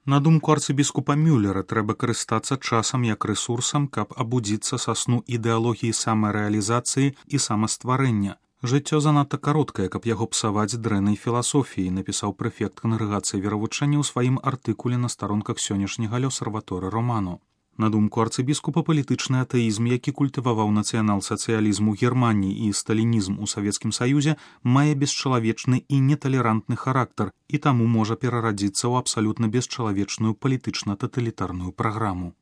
На думку арцыбіскупа Мюллера, трэба карыстацца часам як рэсурсам, каб абудзіцца са сну ідэалогіі самарэалізацыі і самастварэння. Жыццё занадта кароткае, каб яго псаваць дрэннай філасофіяй, напісаў прэфект кангрэгацыі веравучэння ў сваім артыкуле на старонках сённяшняга L'Osservatore Romano. На думку арцыбіскупа, палітычны атэізм, які культываваў нацыянал-сацыялізм у Германіі і сталінізм у Савецкім Саюзе, мае бесчалавечны і неталерантны характар і таму можа перарадзіцца ў абсалютна бесчалавечную палітычна-таталітарную праграму.